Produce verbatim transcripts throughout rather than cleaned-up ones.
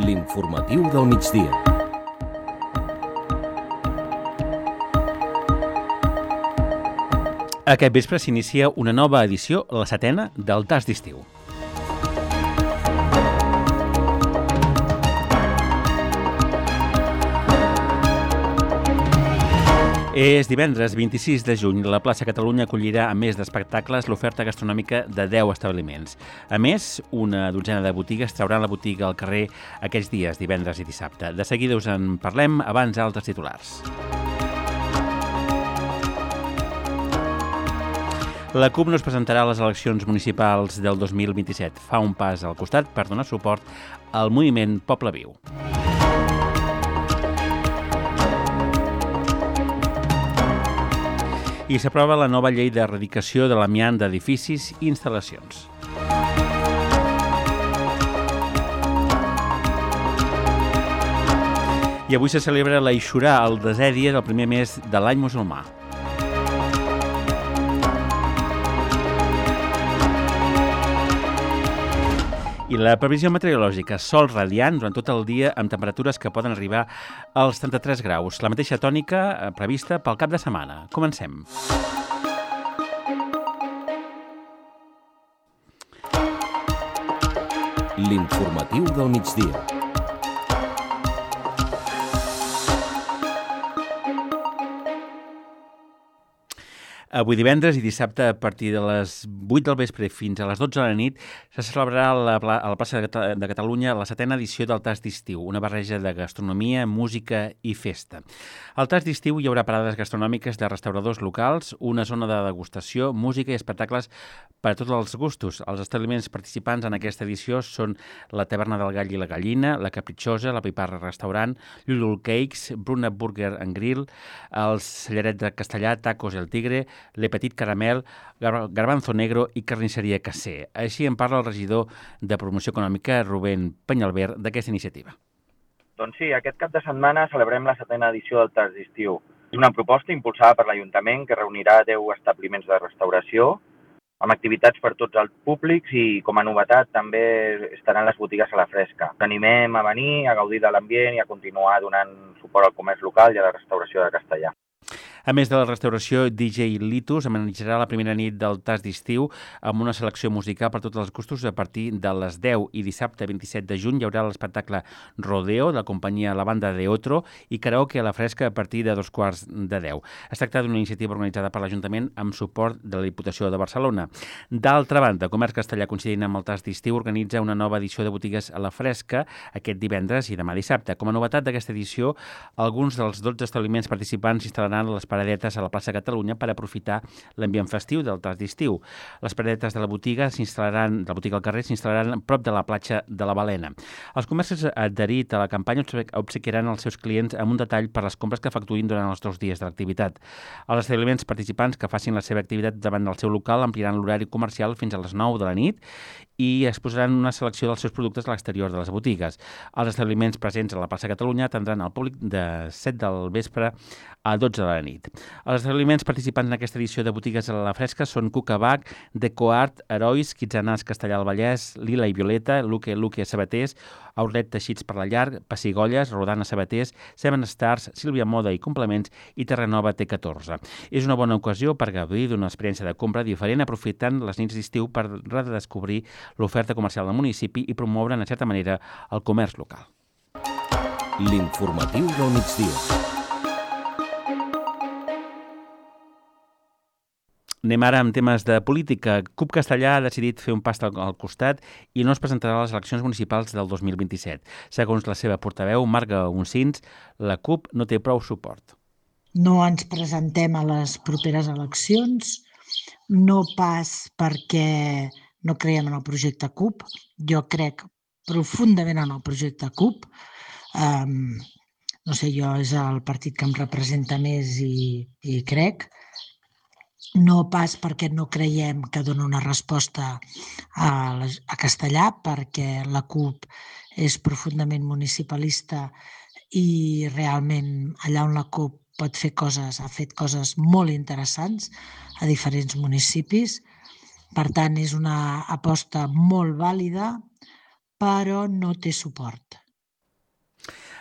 L'informatiu del migdia. Aquest vespre s'inicia una nova edició, la setena, del Tas d'Estiu. És divendres vint-i-sis de juny. La plaça Catalunya acollirà, a més d'espectacles, l'oferta gastronòmica de deu establiments. A més, una dotzena de botigues trauran la botiga al carrer aquests dies, divendres i dissabte. De seguida us en parlem, abans altres titulars. La CUP no es presentarà a les eleccions municipals del dos mil vint-i-set. Fa un pas al costat per donar suport al moviment Poble Viu. I s'aprova la nova llei d'erradicació de l'amiant d'edificis i instal·lacions. I avui se celebra l'Aixurà, el desè dia del primer mes de l'any musulmà. I la previsió meteorològica, sol radiant durant tot el dia amb temperatures que poden arribar als trenta-tres graus. La mateixa tònica prevista pel cap de setmana. Comencem. L'informatiu del migdia. Avui divendres i dissabte a partir de les vuit del vespre fins a les dotze de la nit se celebrarà a la, a la plaça de Catalunya la setena edició del Tas d'Estiu, una barreja de gastronomia, música i festa. Al Tas d'Estiu hi haurà parades gastronòmiques de restauradors locals, una zona de degustació, música i espectacles per a tots els gustos. Els establiments participants en aquesta edició són la Taverna del Gall i la Gallina, la Capritxosa, la Piparra Restaurant, Lulul Cakes, Bruna Burger and Grill, el Cellaret de Castellà, Tacos El Tigre, Le Petit Caramel, Garbanzo Negro i Carnisseria Casser. Així en parla el regidor de Promoció Econòmica, Rubén Penyalver, d'aquesta iniciativa. Doncs sí, aquest cap de setmana celebrem la setena edició del Tas d'Estiu. És una proposta impulsada per l'Ajuntament que reunirà deu establiments de restauració amb activitats per tots els públics i, com a novetat, també estaran les botigues a la fresca. Us animem a venir, a gaudir de l'ambient i a continuar donant suport al comerç local i a la restauració de Castellà. A més de la restauració, D J Litus amenitzarà la primera nit del Tas d'Estiu amb una selecció musical per tots els gustos a partir de les deu i dissabte vint-i-set de juny hi haurà l'espectacle Rodeo de la companyia La Banda de Otro i karaoke a la fresca a partir de dos quarts de deu. Es tracta d'una iniciativa organitzada per l'Ajuntament amb suport de la Diputació de Barcelona. D'altra banda, Comerç Castellà, coincidint amb el Tas d'Estiu, organitza una nova edició de botigues a la fresca aquest divendres i demà dissabte. Com a novetat d'aquesta edició, alguns dels dotze establiments participants instal·laran les paradetes a la plaça Catalunya per aprofitar l'ambient festiu del Tas d'Estiu. Les paradetes de la botiga s'instal·laran, de la botiga al carrer s'instal·laran prop de la platja de la Balena. Els comerços adherits a la campanya obsequiaran els seus clients amb un detall per les compres que efectuïn durant els dos dies de l'activitat. Els establiments participants que facin la seva activitat davant del seu local ampliaran l'horari comercial fins a les nou de la nit i exposaran una selecció dels seus productes a l'exterior de les botigues. Els establiments presents a la plaça Catalunya atendran al públic de set del vespre a dotze de la nit. Els establiments participants en aquesta edició de botigues a la fresca són Cucabac, Decoart, Herois, Quitzenàs, Castellà del Vallès, Lila i Violeta, Luque, Luque, Sabaters, Outlet Teixits per la Llar, Pessigolles, Rodana Sabaters, Seven Stars, Sílvia Moda i Complements i Terranova T catorze. És una bona ocasió per gaudir d'una experiència de compra diferent aprofitant les nits d'estiu per redescobrir l'oferta comercial del municipi i promoure, en certa manera, el comerç local. L'informatiu del migdia. Anem ara amb temes de política. CUP Castellà ha decidit fer un pas al costat i no es presentarà a les eleccions municipals del dos mil vint-i-set. Segons la seva portaveu, Marga Uncins, la CUP no té prou suport. No ens presentem a les properes eleccions, no pas perquè no creiem en el projecte CUP. Jo crec profundament en el projecte CUP. Um, no sé, jo és el partit que em representa més i, i crec. No pas perquè no creiem que dona una resposta a, a Castellà, perquè la CUP és profundament municipalista i realment allà on la CUP pot fer coses, ha fet coses molt interessants a diferents municipis. Per tant, és una aposta molt vàlida, però no té suport.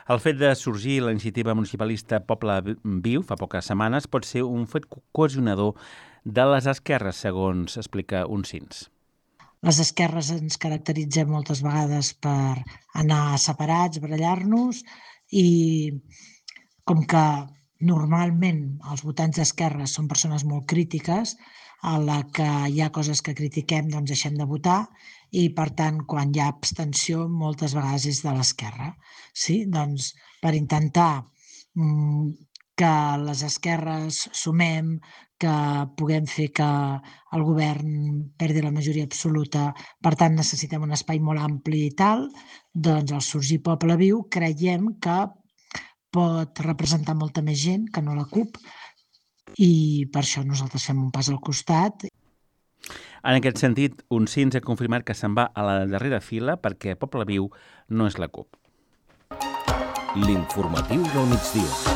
El fet de sorgir la iniciativa municipalista Poble Viu fa poques setmanes pot ser un fet cohesionador de les esquerres, segons explica Uncins. Les esquerres ens caracteritzem moltes vegades per anar separats, barallar-nos, i com que normalment els votants d'esquerres són persones molt crítiques, a la que hi ha coses que critiquem doncs deixem de votar, i per tant quan hi ha abstenció moltes vegades és de l'esquerra. Sí? Doncs per intentar mm, que les esquerres sumem, que puguem fer que el govern perdi la majoria absoluta, per tant necessitem un espai molt ampli i tal, doncs al sorgir Poble Viu creiem que pot representar molta més gent que no la CUP, i per això nosaltres fem un pas al costat. En aquest sentit, Uncins ha confirmat que se'n va a la darrera fila perquè Poble Viu no és la CUP. L'informatiu del migdia.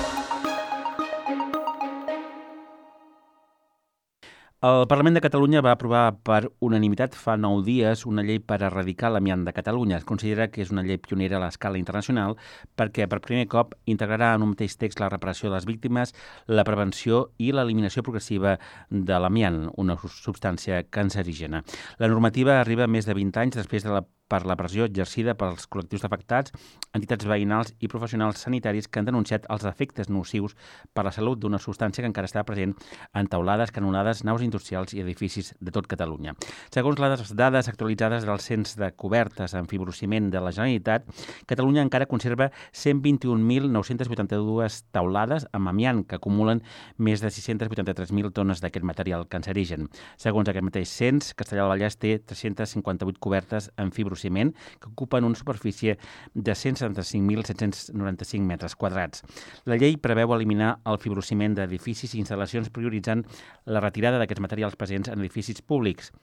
El Parlament de Catalunya va aprovar per unanimitat fa nou dies una llei per erradicar l'amiant de Catalunya. Es considera que és una llei pionera a l'escala internacional perquè per primer cop integrarà en un mateix text la reparació de les víctimes, la prevenció i l'eliminació progressiva de l'amiant, una substància cancerígena. La normativa arriba més de vint anys després de la per la pressió exercida pels col·lectius afectats, entitats veïnals i professionals sanitaris que han denunciat els efectes nocius per la salut d'una substància que encara està present en teulades, canonades, naus industrials i edificis de tot Catalunya. Segons les dades actualitzades del Cens de Cobertes en Fibrociment de la Generalitat, Catalunya encara conserva cent vint-i-un mil nou-cents vuitanta-dues teulades amb amiant, que acumulen més de sis-cents vuitanta-tres mil tones d'aquest material cancerigen. Segons aquest mateix cens, Castellar del Vallès té tres-cents cinquanta-vuit cobertes en fibrociment que ocupen una superfície de cent setanta-cinc mil set-cents noranta-cinc metres quadrats. La llei preveu eliminar el fibrociment d'edificis i instal·lacions prioritzant la retirada d'aquests materials presents en edificis públics.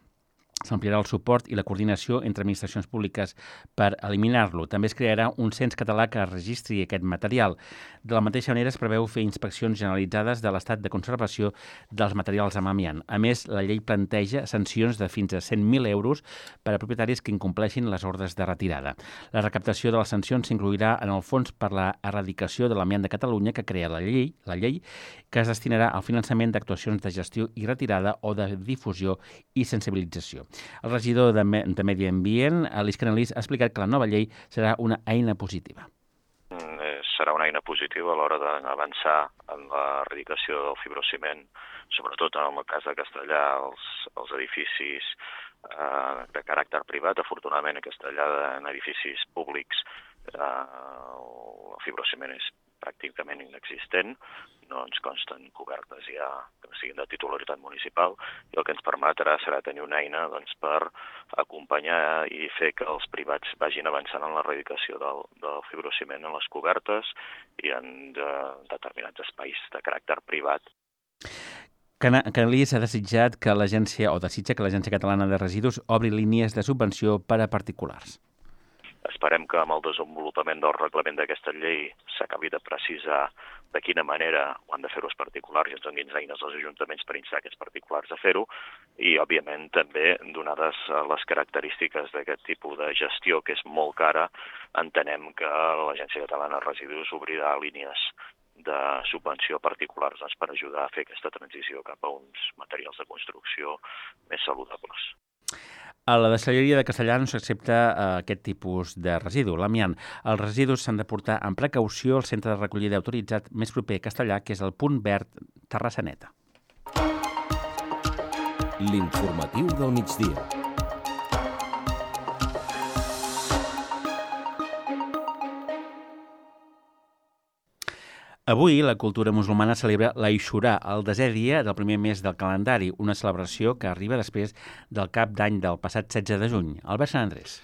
S'ampliarà el suport i la coordinació entre administracions públiques per eliminar-lo. També es crearà un cens català que registri aquest material. De la mateixa manera es preveu fer inspeccions generalitzades de l'estat de conservació dels materials amb amiant. A més, la llei planteja sancions de fins a cent mil euros per a propietaris que incompleixin les ordres de retirada. La recaptació de les sancions s'inclourà en el Fons per la Erradicació de l'Amiant de Catalunya que crea la llei, la llei que es destinarà al finançament d'actuacions de gestió i retirada o de difusió i sensibilització. El regidor de, Me de Medi Ambient, Aleix Canalís, ha explicat que la nova llei serà una eina positiva. Serà una eina positiva a l'hora d'avançar en l'erradicació del fibrociment, sobretot en el cas de Castellar, els, els edificis eh, de caràcter privat. Afortunadament, a Castellar, en edificis públics, eh, el fibrociment és pràcticament inexistent, no ens consten cobertes ja que siguin de titularitat municipal, i el que ens permetrà serà tenir una eina doncs, per acompanyar i fer que els privats vagin avançant en l'erradicació del, del fibrociment en les cobertes i en de, determinats espais de caràcter privat. Canalís ha desitjat que l'agència, o desitja que l'Agència Catalana de Residus obri línies de subvenció per a particulars. Esperem que amb el desenvolupament del reglament d'aquesta llei s'acabi de precisar de quina manera ho han de fer els particulars i ens donin eines als ajuntaments per instar aquests particulars a fer-ho, i, òbviament, també, donades les característiques d'aquest tipus de gestió, que és molt cara, entenem que l'Agència Catalana de Residus obrirà línies de subvenció particulars doncs, per ajudar a fer aquesta transició cap a uns materials de construcció més saludables. A la deixalleria de Castellar no s'accepta uh, aquest tipus de residu, l'amiant. Els residus s'han de portar amb precaució al centre de recollida autoritzat més proper a Castellar, que és el Punt Verd Terrassaneta. L'informatiu del migdia. Avui la cultura musulmana celebra l'Aixurà, el desè dia del primer mes del calendari, una celebració que arriba després del cap d'any del passat setze de juny. Albert Sant Andrés.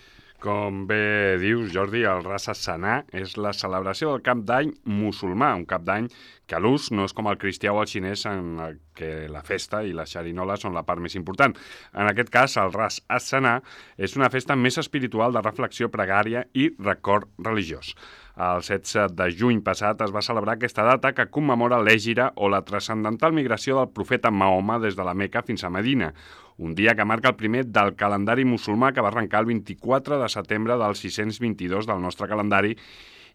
Com bé dius, Jordi, el Ras Hassanah és la celebració del cap d'any musulmà, un cap d'any que a l'ús no és com el cristià o el xinès en el que la festa i la xerinola són la part més important. En aquest cas, el Ras Hassanah és una festa més espiritual de reflexió, pregària i record religiós. El setze de juny passat es va celebrar aquesta data que commemora l'Hègira o la transcendental migració del profeta Mahoma des de la Meca fins a Medina, un dia que marca el primer del calendari musulmà que va arrencar el vint-i-quatre de setembre del sis-cents vint-i-dos del nostre calendari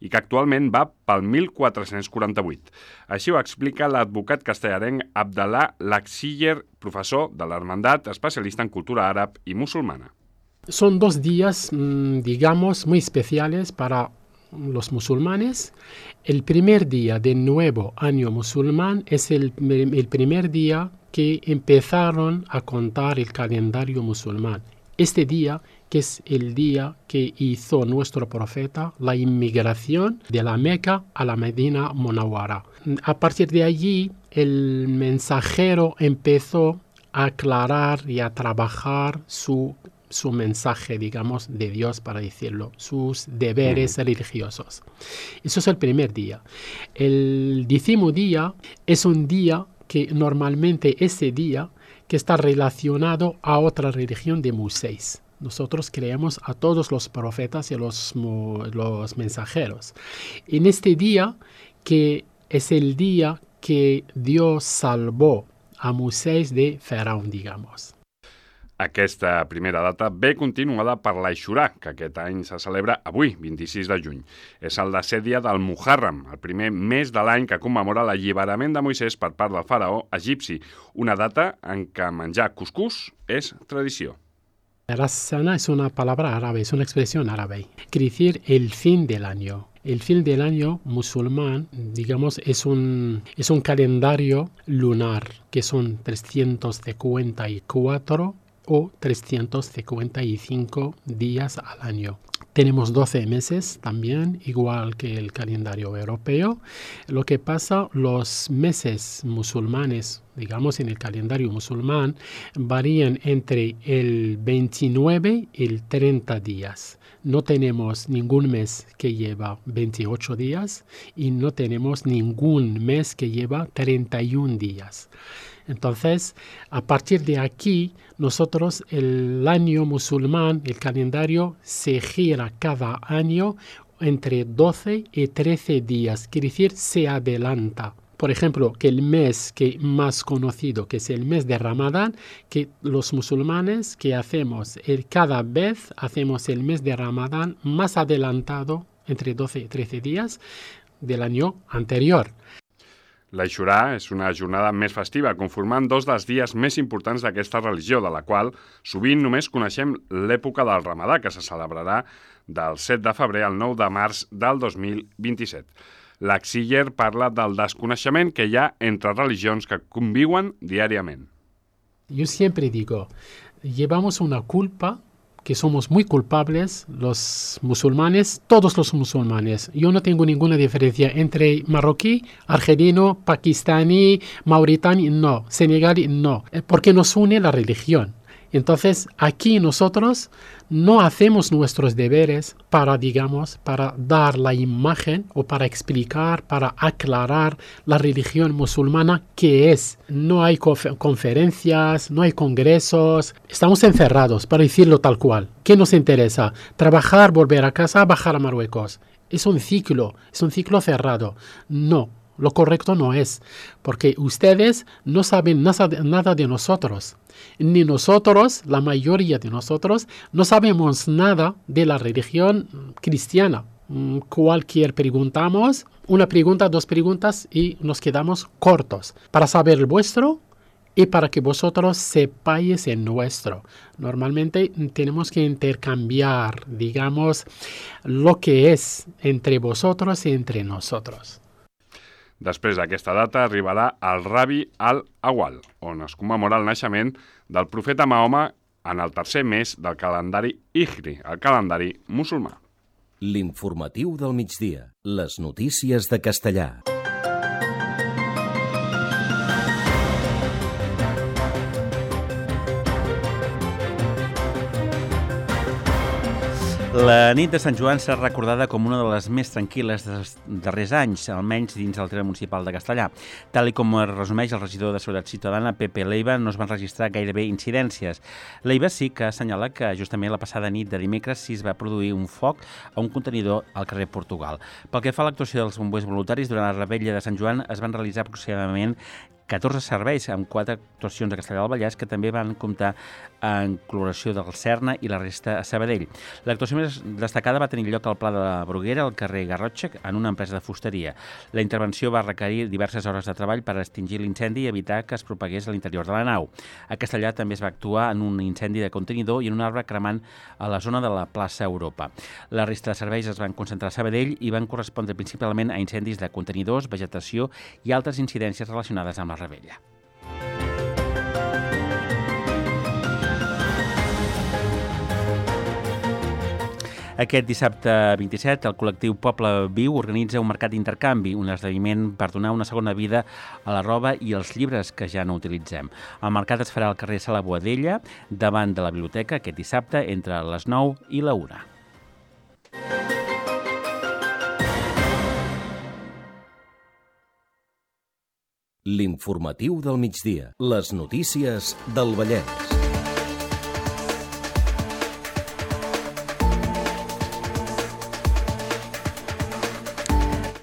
i que actualment va pel mil quatre-cents quaranta-vuit. Així ho explica l'advocat castellarenc Abdallah Laksiller, professor de l'Hermandat, especialista en cultura àrab i musulmana. Son dos días, digamos, muy especiales para los musulmanes. El primer día del nuevo año musulmán es el, el primer día que empezaron a contar el calendario musulmán. Este día, que es el día que hizo nuestro profeta la inmigración de la Meca a la Medina Munawwara. A partir de allí, el mensajero empezó a aclarar y a trabajar su su mensaje, digamos, de Dios, para decirlo, sus deberes mm. religiosos. Eso es el primer día. El décimo día es un día que normalmente ese día que está relacionado a otra religión de Moisés. Nosotros creemos a todos los profetas y los, los mensajeros. En este día, que es el día que Dios salvó a Moisés de Faraón, digamos. Aquesta primera data ve continuada per l'Aixurà, que aquest any se celebra avui, vint-i-sis de juny. És el desè dia del Muharram, el primer mes de l'any que commemora l'alliberament de Moisès per part del faraó egipci, una data en què menjar cuscús és tradició. Ras Sana es una palabra árabe, es una expresión árabe. Quiere decir el fin del año. El fin del año musulmán, digamos, es un, es un calendario lunar, que son trescientos cincuenta y cuatro o trescientos cincuenta y cinco días al año. Tenemos doce meses también, igual que el calendario europeo. Lo que pasa, los meses musulmanes, digamos en el calendario musulmán, varían entre el veintinueve y el treinta días. No tenemos ningún mes que lleva veintiocho días y no tenemos ningún mes que lleva treinta y un días. Entonces, a partir de aquí, nosotros el año musulmán, el calendario, se gira cada año entre doce y trece días, quiere decir, se adelanta. Por ejemplo, que el mes que más conocido, que es el mes de Ramadán, que los musulmanes que hacemos, el, cada vez hacemos el mes de Ramadán más adelantado, entre doce y trece días del año anterior. L'Aixurà és una jornada més festiva, conformant dos dels dies més importants d'aquesta religió, de la qual sovint només coneixem l'època del Ramadà, que se celebrarà del set de febrer al nou de març del dos mil vint-i-set. Laksiller parla del desconeixement que hi ha entre religions que conviuen diàriament. Yo siempre digo, llevamos una culpa que somos muy culpables los musulmanes, todos los musulmanes. Yo no tengo ninguna diferencia entre marroquí, argelino, pakistaní, mauritani, no, senegalí, no, porque nos une la religión. Entonces, aquí nosotros no hacemos nuestros deberes para, digamos, para dar la imagen o para explicar, para aclarar la religión musulmana que es. No hay confer- conferencias, no hay congresos, estamos encerrados, para decirlo tal cual. ¿Qué nos interesa? Trabajar, volver a casa, bajar a Marruecos. Es un ciclo, es un ciclo cerrado. No. Lo correcto no es, porque ustedes no saben nada de, nada de nosotros, ni nosotros, la mayoría de nosotros, no sabemos nada de la religión cristiana. Cualquier preguntamos, una pregunta, dos preguntas y nos quedamos cortos para saber el vuestro y para que vosotros sepáis el nuestro. Normalmente tenemos que intercambiar, digamos, lo que es entre vosotros y entre nosotros. Després d'aquesta data arribarà el Rabi al-Awwal, on es commemora el naixement del profeta Mahoma en el tercer mes del calendari Hijri, el calendari musulmà. L'informatiu del migdia. Les notícies de castellà. La nit de Sant Joan serà recordada com una de les més tranquil·les dels darrers anys, almenys dins del terme municipal de Castellar. Tal i com resumeix el regidor de Seguretat Ciutadana, Pepe Leiva, no es van registrar gairebé incidències. Leiva sí que assenyala que justament la passada nit de dimecres sí es va produir un foc a un contenidor al carrer Portugal. Pel que fa a l'actuació dels bombers voluntaris, durant la revetlla de Sant Joan es van realitzar aproximadament catorze serveis amb quatre actuacions a Castellar del Vallès que també van comptar en col·laboració del Serna i la resta a Sabadell. L'actuació més destacada va tenir lloc al Pla de la Bruguera, al carrer Garrotxa, en una empresa de fusteria. La intervenció va requerir diverses hores de treball per extingir l'incendi i evitar que es propagués a l'interior de la nau. A Castellar també es va actuar en un incendi de contenidor i en un arbre cremant a la zona de la plaça Europa. La resta de serveis es van concentrar a Sabadell i van correspondre principalment a incendis de contenidors, vegetació i altres incidències relacionades amb la Rebella. Aquest dissabte vint-i-set, el col·lectiu Poble Viu organitza un mercat d'intercanvi, un esdeveniment per donar una segona vida a la roba i als llibres que ja no utilitzem. El mercat es farà al carrer Sala Boadella, davant de la biblioteca, aquest dissabte, entre les nou i la una. L'informatiu del migdia. Les notícies del Vallès.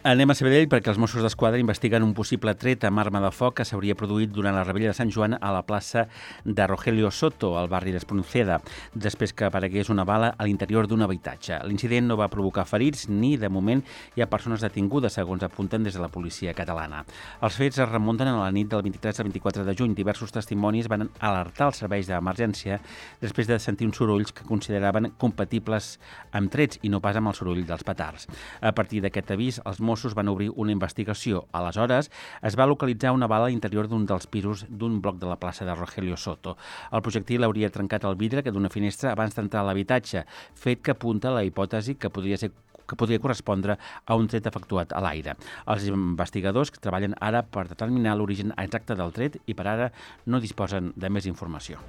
Anem a Sabadell perquè els Mossos d'Esquadra investiguen un possible tret amb arma de foc que s'hauria produït durant la rebella de Sant Joan a la plaça de Rogelio Soto, al barri d'Espronceda, després que aparegués una bala a l'interior d'un habitatge. L'incident no va provocar ferits ni, de moment, hi ha persones detingudes, segons apunten des de la policia catalana. Els fets es remunten a la nit del vint-i-tres al vint-i-quatre de juny. Diversos testimonis van alertar els serveis d'emergència després de sentir uns sorolls que consideraven compatibles amb trets i no pas amb el soroll dels petards. A partir d'aquest avís, els Mossos van obrir una investigació. Aleshores, es va localitzar una bala a l'interior d'un dels pisos d'un bloc de la plaça de Rogelio Soto. El projectil hauria trencat el vidre que d'una finestra abans d'entrar a l'habitatge, fet que apunta a la hipòtesi que podria ser que podria correspondre a un tret efectuat a l'aire. Els investigadors treballen ara per determinar l'origen exacte del tret i per ara no disposen de més informació.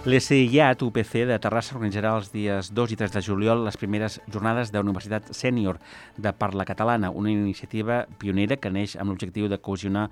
L'E S I A T U P C de Terrassa organitzarà els dies dos i tres de juliol les primeres jornades de Universitat Sènior de Parla Catalana, una iniciativa pionera que neix amb l'objectiu de cohesionar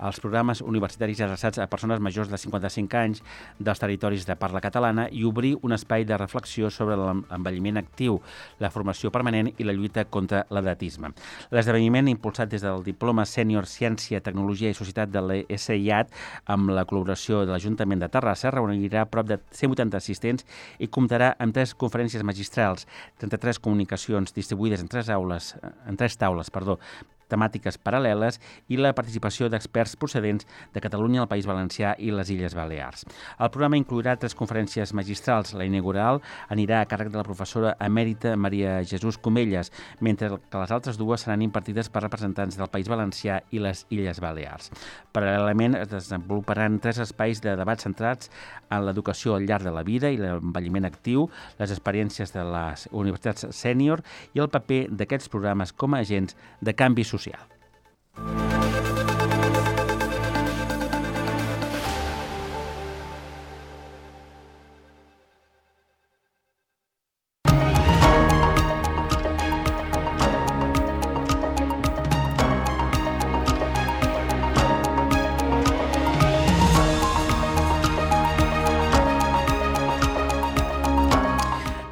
els programes universitaris adreçats a persones majors de cinquanta-cinc anys dels territoris de parla catalana i obrir un espai de reflexió sobre l'envelliment actiu, la formació permanent i la lluita contra l'edatisme. L'esdeveniment, impulsat des del Diploma Sènior Ciència, Tecnologia i Societat de l'E S I A T, amb la col·laboració de l'Ajuntament de Terrassa, reunirà prop de cent vuitanta assistents i comptarà amb tres conferències magistrals, trenta-tres comunicacions distribuïdes en tres aules, en tres taules, perdó, temàtiques paral·leles i la participació d'experts procedents de Catalunya, el País Valencià i les Illes Balears. El programa inclourà tres conferències magistrals. La inaugural anirà a càrrec de la professora emèrita Maria Jesús Comelles, mentre que les altres dues seran impartides per representants del País Valencià i les Illes Balears. Paral·lelament es desenvoluparan tres espais de debat centrats en l'educació al llarg de la vida i l'envelliment actiu, les experiències de les universitats sènior i el paper d'aquests programes com a agents de canvi social. social.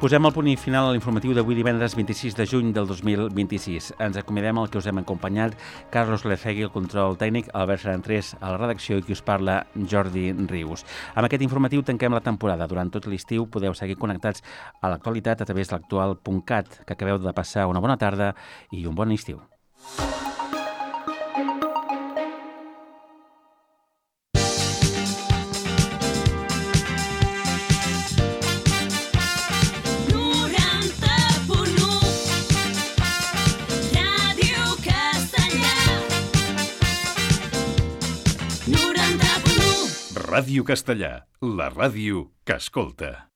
Posem el punt final a l'informatiu d'avui divendres vint-i-sis de juny del dos mil vint-i-sis. Ens acomiadem el que us hem acompanyat, Carlos Lecegui, el control tècnic, Albert Sarantrés a la redacció i qui us parla, Jordi Rius. Amb aquest informatiu tanquem la temporada. Durant tot l'estiu podeu seguir connectats a l'actualitat a través de l'actual punt cat. Que acabeu de passar una bona tarda i un bon estiu. Ràdio Castellà, la ràdio que escolta.